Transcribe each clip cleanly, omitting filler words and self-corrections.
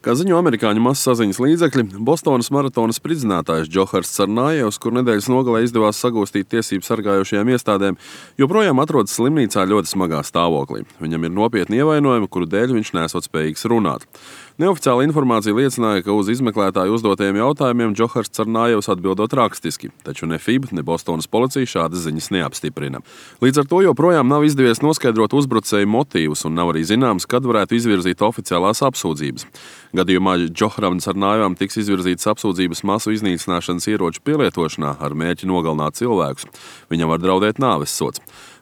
Kā ziņo amerikāņu masasaziņas līdzekļi, Bostonas maratona spridzinātājs Džohars Carnājevs, kur nedēļas nogalē izdevās sagūstīt tiesību sargājošajām iestādēm, joprojām atrodas slimnīcā ļoti smagā stāvoklī. Viņam ir nopietni ievainojumi, kuru dēļ viņš nesot spējīgs runāt. Neoficiāla informācija liecināja, ka uz izmeklētāju uzdotajiem jautājumiem Džohars Carnājevs atbildot rakstiski, taču ne FIB, ne Bostonas policija šādas ziņas neapstiprina. Līdz ar to joprojām nav izdevies noskaidrot uzbrucēju motīvus un nav arī zināms, kad varētu izvirzīt oficiālās apsūdzības. Gadījumā Džoharam Carnājevam tiks izvirzītas apsūdzības masu iznīcināšanas ieroču pielietošanā ar mērķi nogalināt cilvēkus. Viņam var draudēt nāves sods.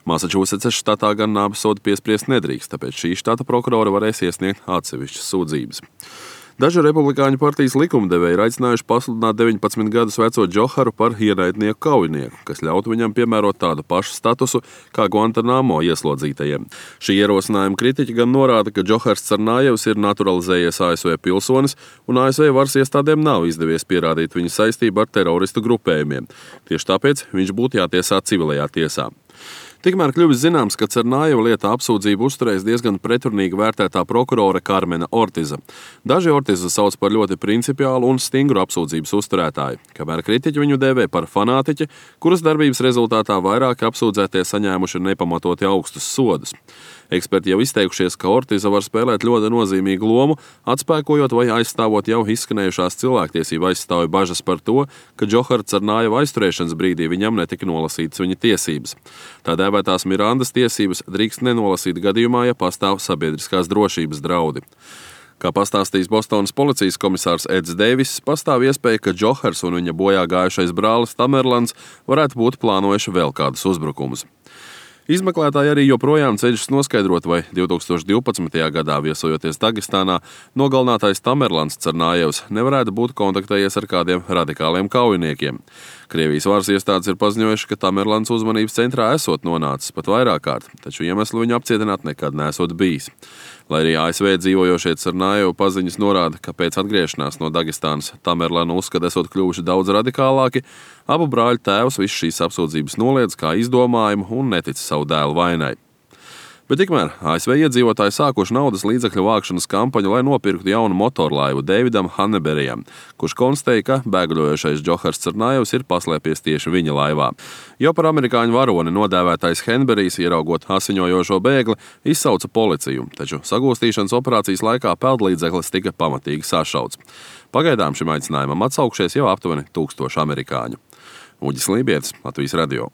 Massachusettsas štatā gan nāves sodu piespriest nedrīkst, tāpēc šī štata prokurora varēs iesniegt atsevišķas sūdzības. Daži republikāņu partijas likumdevēji ir aicinājuši pasludināt 19 gadus veco Džoharu par ienaidnieku kaujinieku, kas ļautu viņam piemērot tādu pašu statusu kā Guantanamo ieslodzītajiem. Šī ierosinājuma kritiķi gan norāda, ka Džohars Carnājevs ir naturalizējies ASV pilsonis, un ASV varas iestādēm nav izdevies pierādīt viņa saistību ar teroristu grupējumiem. Tieši tāpēc viņš būtu jātiesā civilajā tiesā. Tikmēr kļuvis zināms, ka Carnājeva lietā apsūdzību uzturēs diezgan pretrunīgi vērtētā prokurore Karmena Ortiza. Daži Ortizu sauc par ļoti principiālu un stingru apsūdzības uzturētāju, kamēr kritiķi viņu dēvē par fanātiķi, kuras darbības rezultātā vairāki apsūdzētie saņēmuši nepamatoti augstus sodus. Eksperti jau izteikušies, ka Ortiza var spēlēt ļoti nozīmīgu lomu, atspēkojot vai aizstāvot jau izskanējušās cilvēktiesību aizstāvju bažas par to, ka Džohara Carnājeva aizturēšanas brīdī viņam netika nolasītas viņa tiesības. Tā dēvētās Mirandas tiesības drīkst nenolasīt gadījumā, ja pastāv sabiedriskās drošības draudi. Kā pastāstījis Bostonas policijas komisārs Eds Deiviss, pastāv iespēja, ka Džohars un viņa bojā gājušais brālis Tamerlans varētu būt plānojuši vēl kādus uzbrukumus. Izmeklētāji arī joprojām cenšas noskaidrot, vai 2012. gadā viesojoties Dagestānā, nogalinātais Tamerlans Carnājevs nevarētu būt kontaktējies ar kādiem radikāliem kaujiniekiem. Krievijas varas iestādes ir paziņojuši, ka Tamerlans uzmanības centrā esot nonācis pat vairāk kārt, taču iemeslu viņu apcietināt nekad nesot bijis. Lai arī ASV dzīvojošie Carnājevu paziņas norāda, ka pēc atgriešanās no Dagestānas Tamerlanu uzskata esot kļuvuši daudz radikālāki, abu brāļu tēvs visu šīs apsūdzības noliedz kā izdomājumu un netic savu dēlu vainai. Bet tikmēr ASV iedzīvotāji sākuši naudas līdzekļu vākšanas kampaņu, lai nopirktu jaunu motorlaivu Davidam Hanneberijam, kurš konstatēja, ka bēgļojošais Džohars Carnājevs ir paslēpies tieši viņa laivā. Jau par amerikāņu varoni nodēvētais Hanneberijs, ieraugot asiņojošo bēgli, izsauca policiju, taču sagūstīšanas operācijas laikā peldlīdzeklis tika pamatīgi sašauts. Pagaidām šim aicinājumam atsaukšies jau aptuveni 1000 amerikāņu. Uģis Lībietis, Latvijas radio.